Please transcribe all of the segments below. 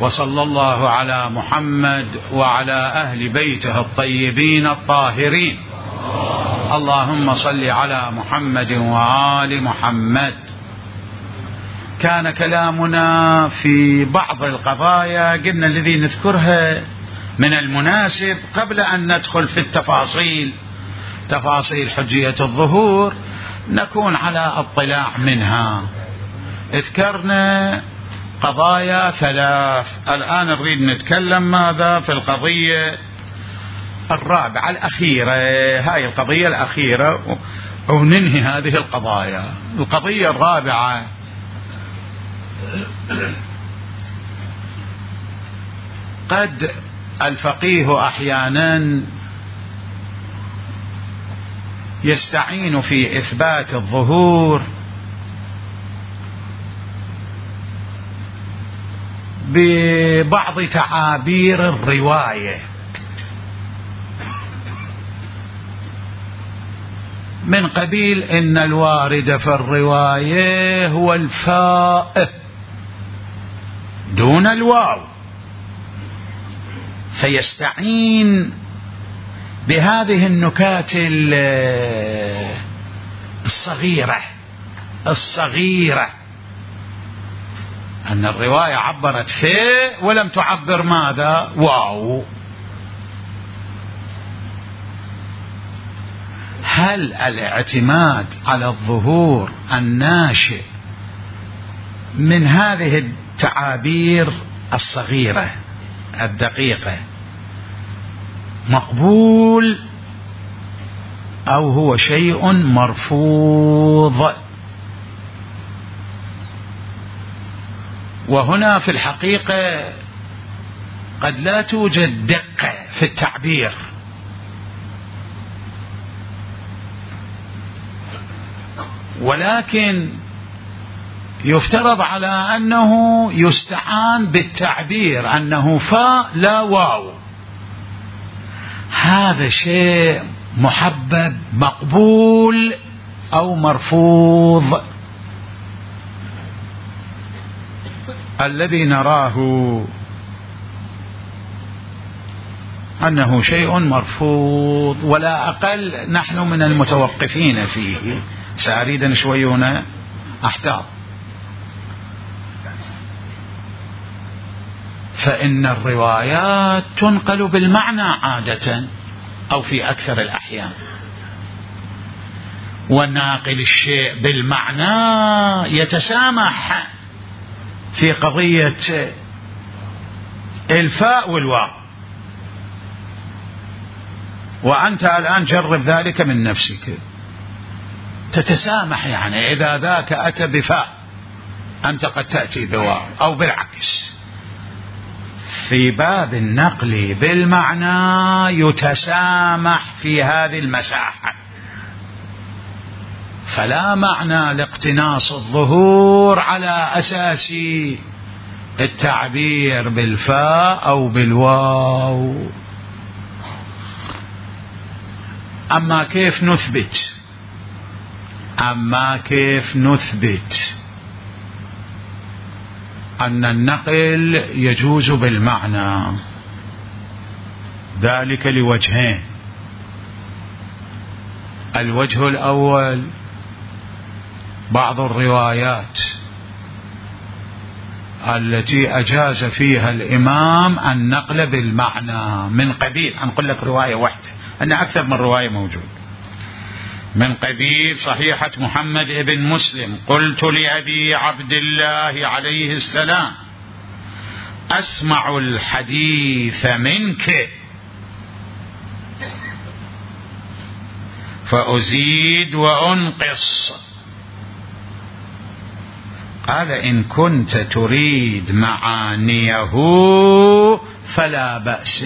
وصلى الله على محمد وعلى أهل بيته الطيبين الطاهرين. اللهم صل على محمد وآل محمد. كان كلامنا في بعض القضايا قلنا الذي نذكرها من المناسب قبل أن ندخل في تفاصيل حجية الظهور نكون على اطلاع منها. اذكرنا قضايا 3، الآن نريد نتكلم ماذا في القضية الرابعة الأخيرة، هاي القضية الأخيرة وننهي هذه القضايا. القضية الرابعة قد الفقيه أحيانا يستعين في إثبات الظهور ببعض تعابير الرواية، من قبيل إن الوارد في الرواية هو الفاء دون الواو، فيستعين بهذه النكات الصغيرة أن الرواية عبرت فاء ولم تعبر ماذا؟ واو. هل الاعتماد على الظهور الناشئ من هذه التعابير الصغيرة الدقيقة مقبول أو هو شيء مرفوض؟ وهنا في الحقيقة قد لا توجد دقة في التعبير، ولكن يفترض على أنه يستعان بالتعبير أنه فاء لا واو. هذا شيء محبب مقبول أو مرفوض؟ الذي نراه أنه شيء مرفوض ولا أقل، نحن من المتوقفين فيه. سأريد أن شوي هنا أحتاط، فإن الروايات تنقل بالمعنى عادة أو في أكثر الأحيان، وناقل الشيء بالمعنى يتسامح في قضية الفاء والواو. وأنت الآن جرب ذلك من نفسك، تتسامح، يعني إذا ذاك أتى بفاء أنت قد تأتي بواو أو بالعكس. في باب النقل بالمعنى يتسامح في هذه المساحة، فلا معنى لاقتناص الظهور على أساس التعبير بالفاء أو بالواو. أما كيف نثبت أن النقل يجوز بالمعنى؟ ذلك لوجهين. الوجه الأول بعض الروايات التي أجاز فيها الإمام النقل بالمعنى، من قبيل أنقل لك رواية واحدة، أن أكثر من رواية موجود، من قبيل صحيحة محمد بن مسلم: قلت لأبي عبد الله عليه السلام: أسمع الحديث منك فأزيد وأنقص. قال: إن كنت تريد معانيه فلا بأس.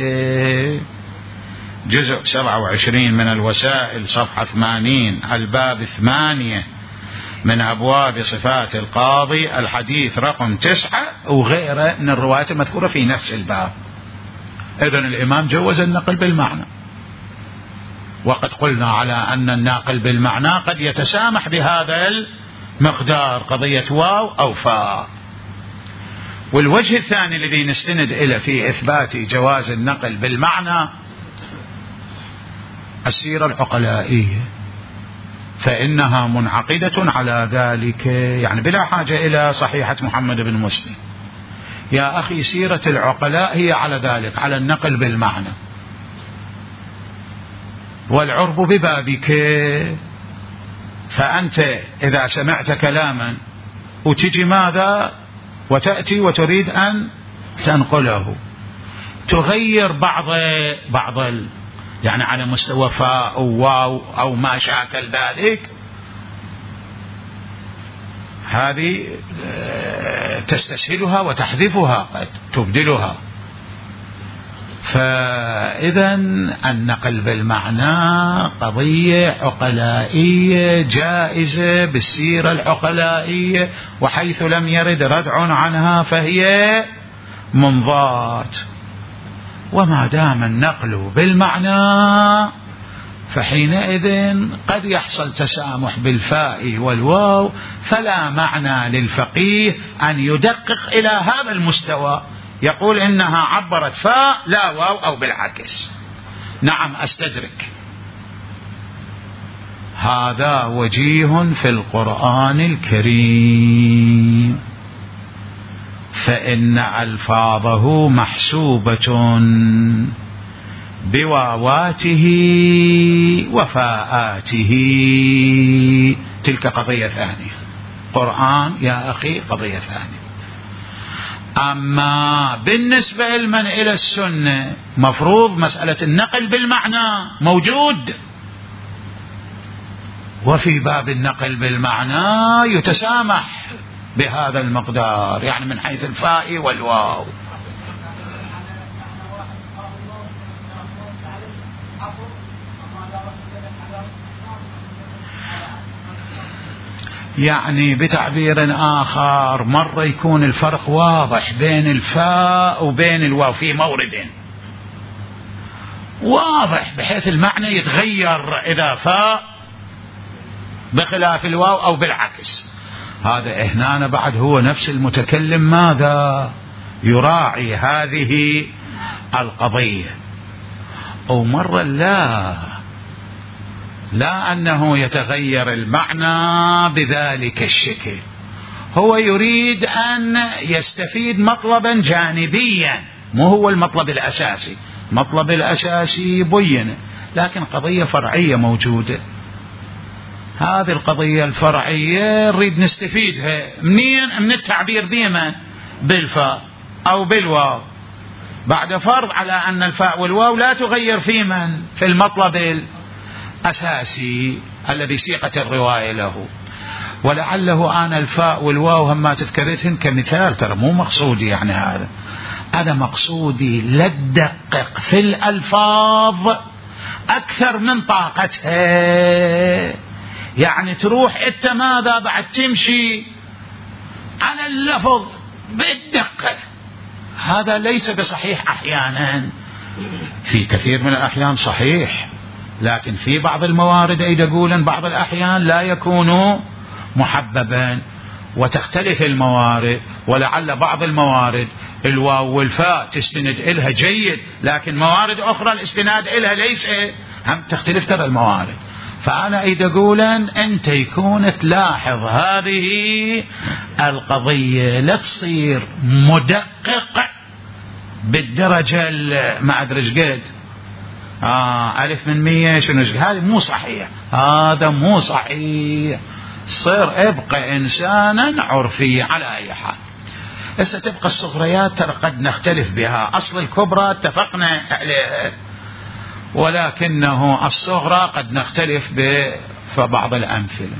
جزء 27 من الوسائل صفحة 80، الباب 8 من أبواب صفات القاضي، الحديث رقم 9 وغيره من الروايات المذكورة في نفس الباب. إذن الإمام جوز النقل بالمعنى، وقد قلنا على أن الناقل بالمعنى قد يتسامح بهذا المقدار، قضية واو أو فاء. والوجه الثاني الذي نستند إليه في إثبات جواز النقل بالمعنى السيرة العقلائية، فإنها منعقدة على ذلك، يعني بلا حاجة إلى صحيحة محمد بن مسلم. يا أخي سيرة العقلاء هي على ذلك، على النقل بالمعنى، والعرب ببابك. فأنت إذا سمعت كلاما وتجي ماذا وتأتي وتريد أن تنقله، تغير بعض يعني على مستوى فاء أو واو أو ما شاكل ذلك، هذه تستسهلها وتحذفها، قد تبدلها. فإذا النقل بالمعنى قضية عقلائية جائزة بالسيرة العقلائية، وحيث لم يرد ردع عنها فهي منضات. وما دام النقل بالمعنى فحينئذ قد يحصل تسامح بالفاء والواو، فلا معنى للفقيه أن يدقق إلى هذا المستوى، يقول إنها عبرت فاء لا واو أو بالعكس. نعم أستدرك، هذا وجيه في القرآن الكريم، فإن ألفاظه محسوبة بواواته وفاءاته، تلك قضية ثانية. قرآن يا أخي قضية ثانية. أما بالنسبة لمن إلى السنة مفروض مسألة النقل بالمعنى موجود، وفي باب النقل بالمعنى يتسامح بهذا المقدار، يعني من حيث الفاء والواو. يعني بتعبير آخر، مرة يكون الفرق واضح بين الفاء وبين الواو في مورد واضح، بحيث المعنى يتغير إذا فاء بخلاف الواو أو بالعكس. هذا هنا بعد هو نفس المتكلم ماذا يراعي هذه القضية. أو مرة لا أنه يتغير المعنى بذلك الشكل، هو يريد أن يستفيد مطلبا جانبيا، مو هو المطلب الأساسي. المطلب الأساسي بينه، لكن قضية فرعية موجودة. هذه القضية الفرعية نريد نستفيدها منين؟ من التعبير بمن؟ بالفاء أو بالواو، بعد فرض على أن الفاء والواو لا تغير في من؟ في المطلب الأساسي الذي سيقت الرواية له. ولعله أنا الفاء والواو هما تذكرتهن كمثال، ترى مو مقصودي يعني هذا مقصودي لا تدقق في الألفاظ أكثر من طاقتها، يعني تروح أنت ماذا بعد تمشي على اللفظ بالدقة. هذا ليس بصحيح أحيانا، في كثير من الأحيان صحيح، لكن في بعض الموارد يقولون بعض الأحيان لا يكون محببا، وتختلف الموارد. ولعل بعض الموارد الواو والفاء تستند إلها جيد، لكن موارد أخرى الاستناد إلها ليس، هم تختلف ترى الموارد. فأنا أقول أنت يكون تلاحظ هذه القضية، لا تصير مدقق بالدرجة ما أدري قد 1000 من 100 شنو، هذا مو صحيح، هذا مو صحيح. صير ابقى إنسانا عرفيا على أي حال. هسه تبقى الصغريات ترى قد نختلف بها، أصل الكبرى اتفقنا عليها، ولكنه الصغرى قد نختلف ببعض الأمثلة.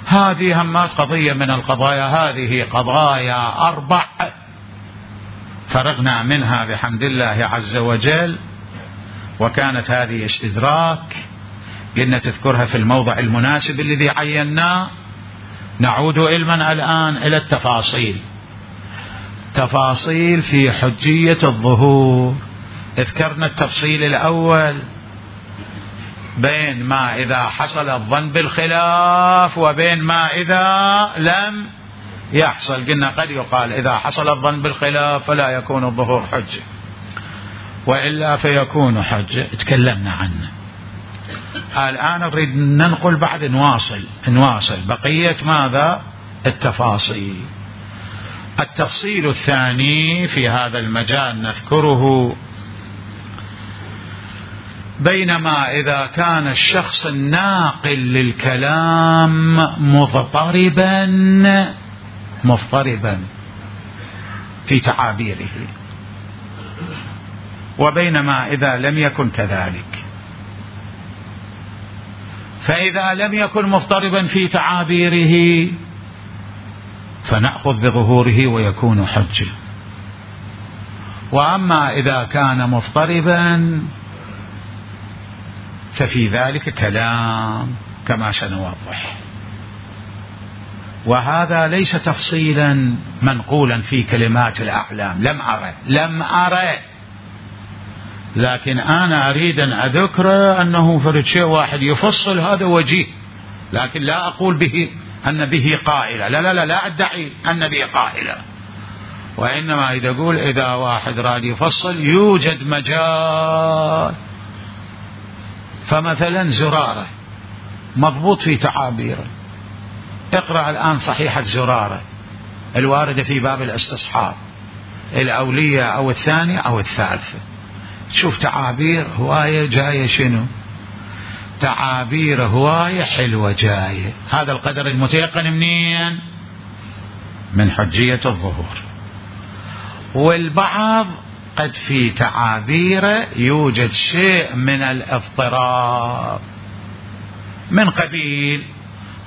هذه همات قضية من القضايا، هذه قضايا 4 فرغنا منها بحمد الله عز وجل، وكانت هذه استدراك، قلنا تذكرها في الموضع المناسب الذي عيناه. نعود علما الآن إلى التفاصيل. تفاصيل في حجية الظهور. ذكرنا التفصيل الأول بين ما إذا حصل الظن بالخلاف وبين ما إذا لم يحصل. قلنا قد يقال إذا حصل الظن بالخلاف فلا يكون الظهور حجة، وإلا فيكون حجة، تكلمنا عنه. الآن نريد ننقل بعد نواصل بقية ماذا؟ التفاصيل. التفصيل الثاني في هذا المجال نذكره: بينما إذا كان الشخص الناقل للكلام مضطربا في تعابيره، وبينما إذا لم يكن كذلك، فإذا لم يكن مضطربا في تعابيره فنأخذ بظهوره ويكون حجة. وأما إذا كان مضطربا ففي ذلك كلام كما سنوضح. وهذا ليس تفصيلا منقولا في كلمات الأعلام، لم أرى، لكن أنا أريد أن أذكر أنه فرد شيء واحد يفصل هذا وجيه، لكن لا أقول به أن به قائلة، لا أدعي أن به قائلة، وإنما إذا أقول إذا واحد راد يفصل يوجد مجال. فمثلا زرارة مضبوط في تعابيره، اقرأ الآن صحيحة زرارة الواردة في باب الاستصحاب، الأولية أو الثانية أو الثالثة، شوف تعابير هواية جاية، شنو تعابير هواية حلوة جاية. هذا القدر المتيقن منين؟ من حجية الظهور. والبعض قد في تعابيره يوجد شيء من الاضطراب، من قبيل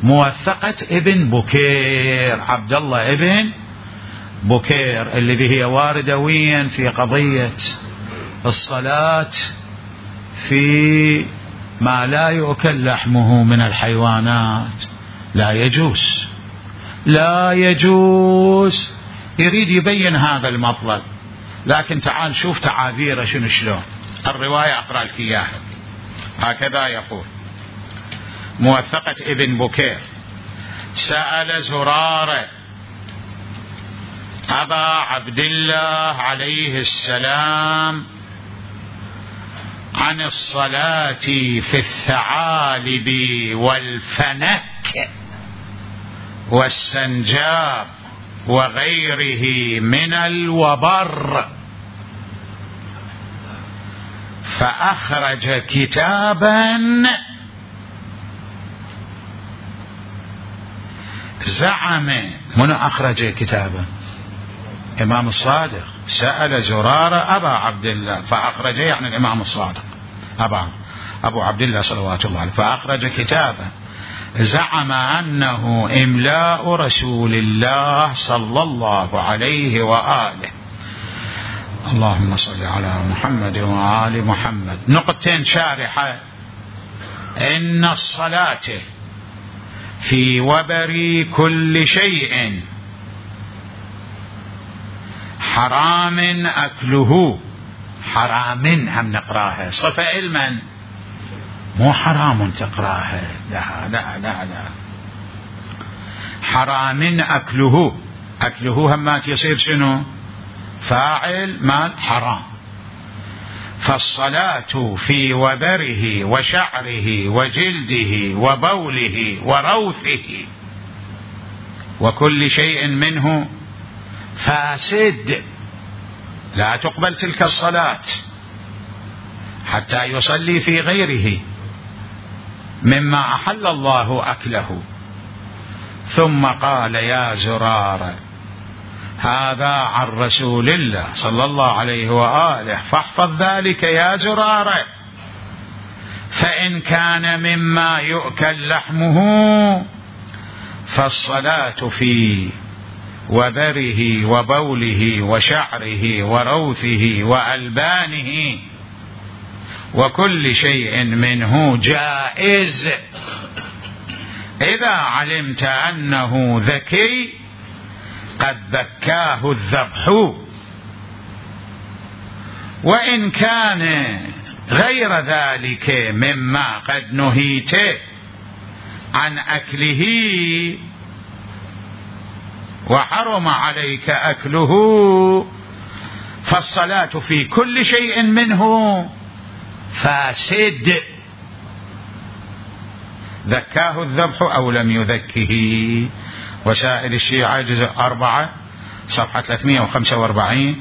موثقة ابن بكير، عبد الله ابن بكير، الذي هي واردة وين؟ في قضية الصلاة في ما لا يؤكل لحمه من الحيوانات، لا يجوز. يريد يبين هذا المطلب، لكن تعال شوف تعابيره شلون. الرواية أقرأ لك إياها، هكذا يقول: موثقة ابن بكير: سأل زرارة أبا عبد الله عليه السلام عن الصلاة في الثعالب والفنك والسنجاب وغيره من الوبر، فأخرج كتابا زعم. من أخرج كتابا؟ إمام الصادق. سأل زرارة أبا عبد الله فأخرج، يعني الإمام الصادق أبو عبد الله صلوات الله عليه، فأخرج كتابا زعم أنه إملاء رسول الله صلى الله عليه وآله. اللهم صل على محمد وآل محمد. نقطتين شارحة: إن الصلاة في وبر كل شيء حرام أكله. حرام هم نقراها صفة علما، مو حرام تقراها، لا حرام أكله همات يصير شنو؟ فاعل مال حرام. فالصلاة في وبره وشعره وجلده وبوله وروثه وكل شيء منه فاسد، لا تقبل تلك الصلاة حتى يصلي في غيره مما أحل الله أكله. ثم قال: يا زرارة هذا عن رسول الله صلى الله عليه وآله، فاحفظ ذلك يا زرارة، فإن كان مما يؤكل لحمه فالصلاة في وبره وبوله وشعره وروثه وألبانه وكل شيء منه جائز إذا علمت أنه ذكي قد ذكاه الذبح، وإن كان غير ذلك مما قد نهيت عن أكله وحرم عليك أكله، فالصلاة في كل شيء منه فاسد، ذكاه الذبح أو لم يذكه. وسائل الشيعة جزء 4 صفحة 345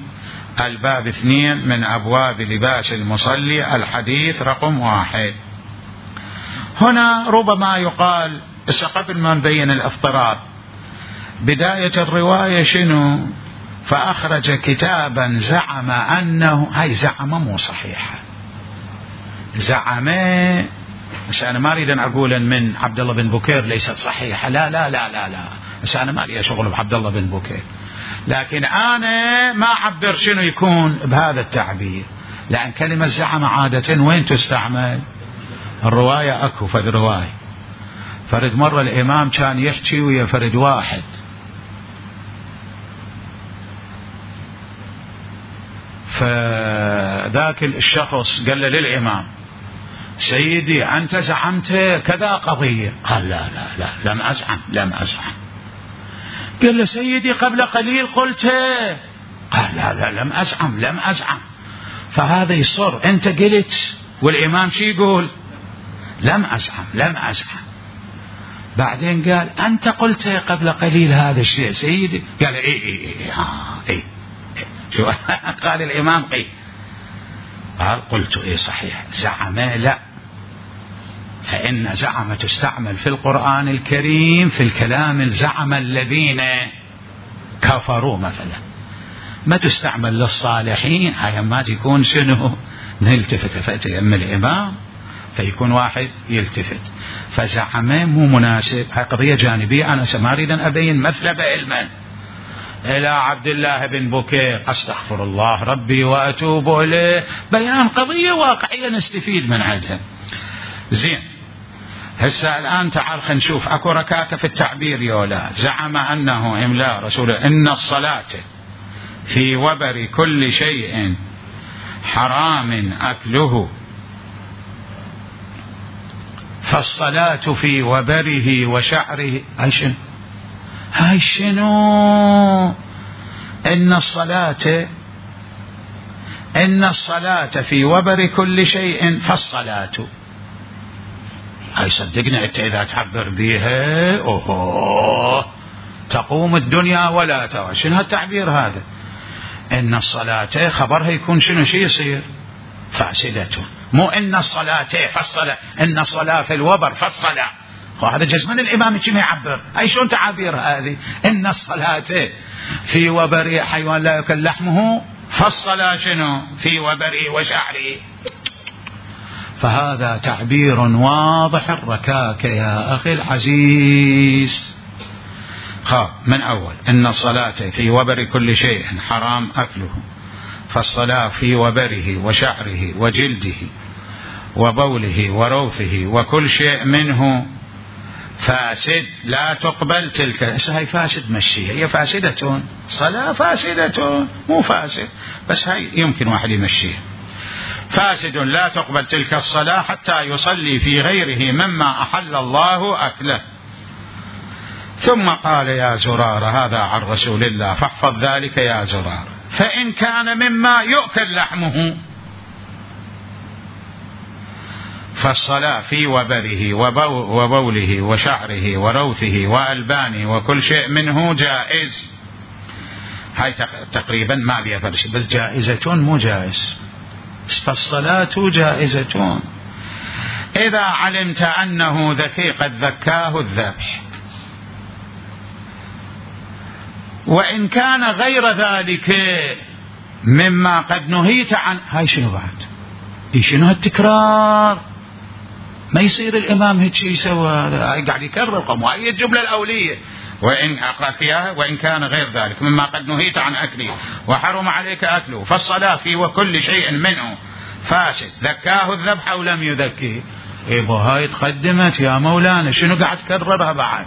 الباب 2 من أبواب لباس المصلي الحديث رقم 1. هنا ربما يقال قبل ما نبين الافتراض بداية الرواية شنو؟ فأخرج كتابا زعم أنه، هاي زعم مو صحيحة، زعم، بس أنا ما أريد أن أقول من عبد الله بن بكير ليست صحيحة، لا لا لا لا لا، بس أنا ما لي شغل بعبد الله بن بكير، لكن أنا ما أعبر شنو يكون بهذا التعبير، لأن كلمة زعم عادة وين تستعمل؟ الرواية أكو فرد رواية، فرد مرة الإمام كان يحكي ويا فرد واحد، فذاك الشخص قال له للإمام سيدي أنت زعمت كذا قضية، قال لا لا لا لم أزعم. قال له سيدي قبل قليل قلت، قال لا لا لم أزعم. فهذا يصر أنت قلت والإمام شي يقول؟ لم أزعم. بعدين قال أنت قلت قبل قليل هذا الشيء سيدي، قال إيه شو قال الإمام قال قلت إيه صحيح. زعم لا، فإن زعم تستعمل في القرآن الكريم في الكلام الزعم الذين كفروا مثلا، ما تستعمل للصالحين، هاي ما تكون شنو نلتفت فأتي أم الإمام فيكون واحد يلتفت، فزعم مو مناسب، هاي قضية جانبية أنا ما أريد أن أبين مثلب علما إلى عبد الله بن بكير، أستغفر الله ربي وأتوب إليه، بيان قضية واقعية نستفيد من عندها. زين، هسه الآن تعال خلينا نشوف أكو ركاكة في التعبير يولا. زعم أنه إملاء رسول إن الصلاة في وبر كل شيء حرام أكله، فالصلاة في وبره وشعره، هاي شنو؟ إن الصلاة في وبر كل شيء فالصلاة، هاي صدقني أنت إذا تعبر بها تقوم الدنيا ولا ترى. شنو هالتعبير هذا؟ إن الصلاة خبرها يكون شنو شي يصير؟ فاسدة، مو إن الصلاة فالصلاة، إن الصلاة في الوبر فالصلاة، وهذا جزمن الإمام كما يعبر. أي شلون تعابير هذه؟ إن الصلاة في وبر حيوان لا يأكل لحمه، فالصلاة شنو؟ في وبره وشعره. فهذا تعبير واضح الركاكة يا أخي العزيز. من أول إن الصلاة في وبر كل شيء حرام أكله، فالصلاة في وبره وشعره وجلده وبوله وروثه وكل شيء منه فاسد لا تقبل تلك. هي فاسد مشيها، هي فاسدة، صلاة فاسدة مو فاسد، بس هاي يمكن واحد يمشيها. فاسد لا تقبل تلك الصلاة حتى يصلي في غيره مما أحل الله أكله. ثم قال يا زرار، هذا عن رسول الله، فاحفظ ذلك يا زرار، فإن كان مما يؤكل لحمه فالصلاة في وبره وبوله وشعره وروثه وألبانه وكل شيء منه جائز. هاي تقريبا ما بيها فرش، بس جائزة مو جائز، فالصلاة جائزة إذا علمت أنه ذكي قد ذكاه الذبح، وإن كان غير ذلك مما قد نهيت عن. هاي شنو بعد؟ شنو هالتكرار؟ ما يصير الإمام هيك يسوى، هاي قاعد يكرر وهي الجملة الأولية. وإن أقرأ فيها وإن كان غير ذلك مما قد نهيت عن أكله وحرم عليك أكله، فالصلاة في وكل شيء منه فاسد، ذكاه الذبح أو لم يذكيه. هاي تقدمت يا مولانا، شنو قاعد تكررها بعد؟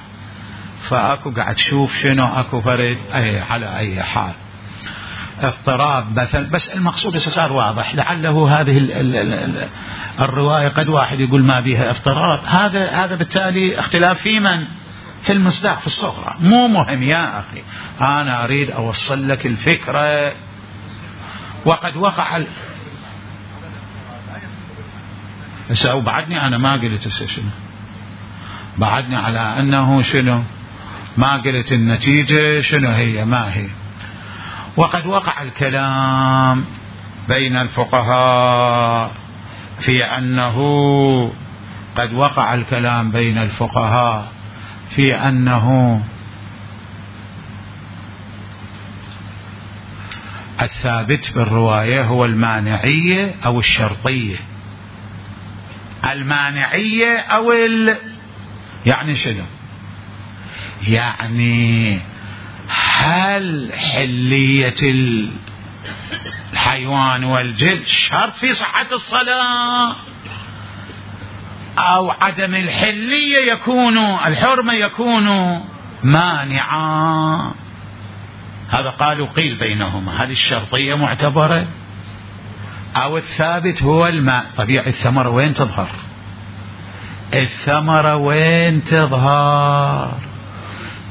فأكو قاعد تشوف شنو أكو فرد على أي حال اضطراب مثل، بس المقصود صار واضح. لعله هذه الرواية قد واحد يقول ما بيها اضطراب، هذا بالتالي اختلاف في من؟ في المصداق في الصغرى. مو مهم يا أخي، أنا أريد أوصل لك الفكرة. وقد وقع وبعدني أنا ما قلت شنو، بعدني على أنه شنو، ما قلت النتيجة شنو هي ما هي. وقد وقع الكلام بين الفقهاء في أنه قد وقع الكلام بين الفقهاء في أنه الثابت بالرواية هو المانعية أو الشرطية. المانعية أو يعني شنو؟ يعني هل حلية الحيوان والجلد شرط في صحة الصلاة، أو عدم الحلية يكون الحرمة يكون مانعا؟ هذا قالوا قيل بينهما، هل الشرطية معتبرة أو الثابت هو الماء؟ طبيعي الثمرة وين تظهر؟ الثمرة وين تظهر؟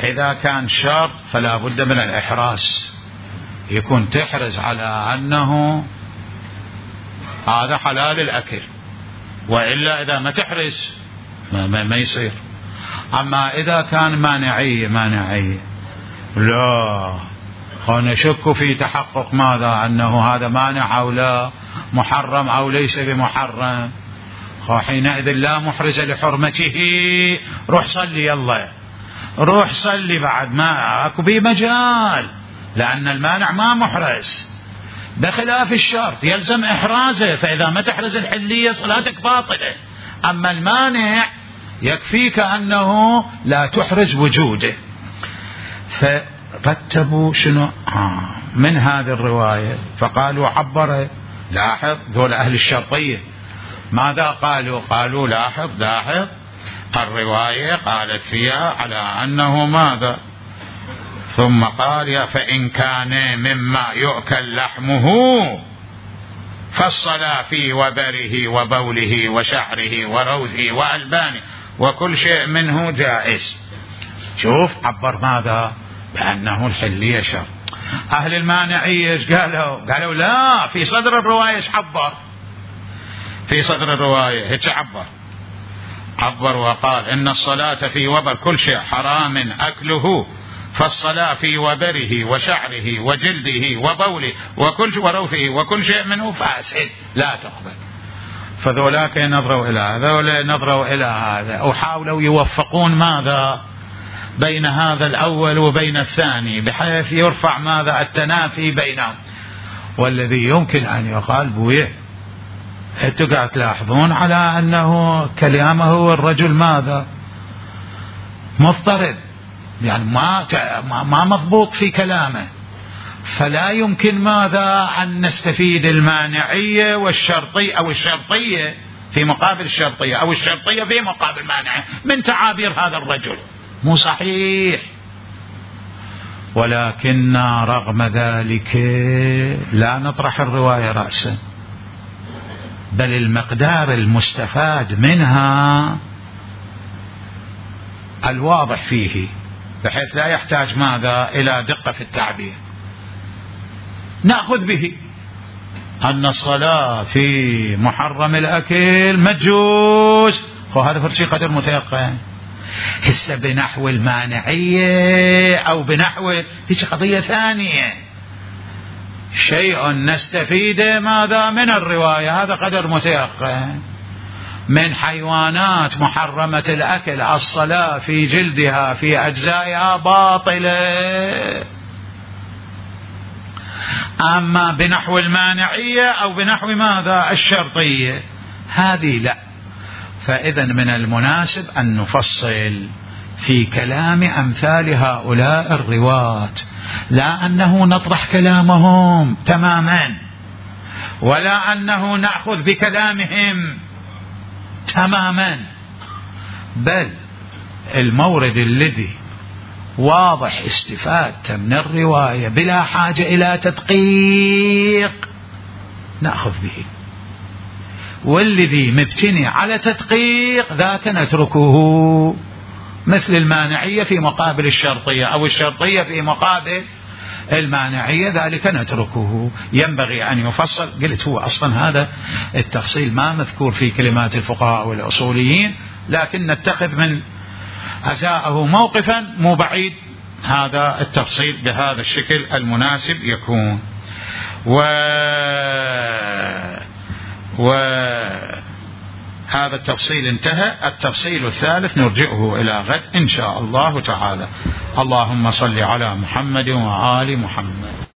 إذا كان شرط فلا بد من الإحراز، يكون تحرز على أنه هذا حلال الأكل، وإلا إذا ما تحرز ما يصير. أما إذا كان مانعية لا، نشك في تحقق ماذا، أنه هذا مانع أو لا، محرم أو ليس بمحرم، حينئذ لا محرز لحرمته. روح صلي، يلا روح صلي، بعد ما أكو بي مجال، لأن المانع ما محرز، بخلاف الشرط يلزم إحرازه، فإذا ما تحرز الحلية صلاتك باطلة. أما المانع يكفيك أنه لا تحرز وجوده. فرتبوا شنو من هذه الرواية، فقالوا عبر. لاحظ ذول أهل الشرطية ماذا قالوا؟ قالوا لاحظ الرواية قالت فيها على أنه ماذا، ثم قال فإن كان مما يؤكل لحمه فالصلاة في وبره وبوله وشعره وروثه وألبانه وكل شيء منه جائز. شوف عبر ماذا؟ بأنه الحلية شرط. أهل المانعية ايش قالوا؟ قالوا لا، في صدر الرواية ايش عبر؟ في صدر الرواية هيك عبر وقال إن الصلاة في وبر كل شيء حرام أكله، فالصلاة في وبره وشعره وجلده وبوله وكل وروثه وكل شيء منه فاسد لا تقبل. فذولاك نظروا إلى هذا نظروا إلى هذا، وحاولوا يوفقون ماذا بين هذا الأول وبين الثاني، بحيث يرفع ماذا التنافي بينهم. والذي يمكن أن يقال بويه، انتوا قاعد تلاحظون على أنه كلامه الرجل ماذا مضطرب، يعني ما مضبوط في كلامه، فلا يمكن ماذا أن نستفيد المانعية والشرطية أو الشرطية في مقابل الشرطية أو الشرطية في مقابل مانعة من تعابير هذا الرجل، مو صحيح. ولكن رغم ذلك لا نطرح الرواية رأسا، بل المقدار المستفاد منها الواضح فيه، بحيث لا يحتاج ماذا إلى دقة في التعبير. نأخذ به أن الصلاة في محرم الأكل مجوز، وهذا فرشي قدر متيقن. هسه بنحو المانعية أو بنحو هيك قضية ثانية، شيء نستفيد ماذا من الرواية، هذا قدر متيقن. من حيوانات محرمة الأكل الصلاة في جلدها في أجزائها باطلة. أما بنحو المانعية أو بنحو ماذا الشرطية هذه لا. فإذا من المناسب أن نفصل في كلام أمثال هؤلاء الرواة، لا أنه نطرح كلامهم تماما، ولا أنه نأخذ بكلامهم تماما، بل المورد الذي واضح استفادة من الرواية بلا حاجة إلى تدقيق نأخذ به، والذي مبتني على تدقيق ذاك نتركه مثل المانعية في مقابل الشرطية أو الشرطية في مقابل المانعية، ذلك نتركه. ينبغي أن يفصل. قلت هو أصلا هذا التفصيل ما مذكور في كلمات الفقهاء والأصوليين، لكن نتخذ من أزاءه موقفا مو بعيد هذا التفصيل بهذا الشكل المناسب يكون. هذا التفصيل انتهى. التفصيل الثالث نرجعه إلى غد إن شاء الله تعالى. اللهم صل على محمد وآل محمد.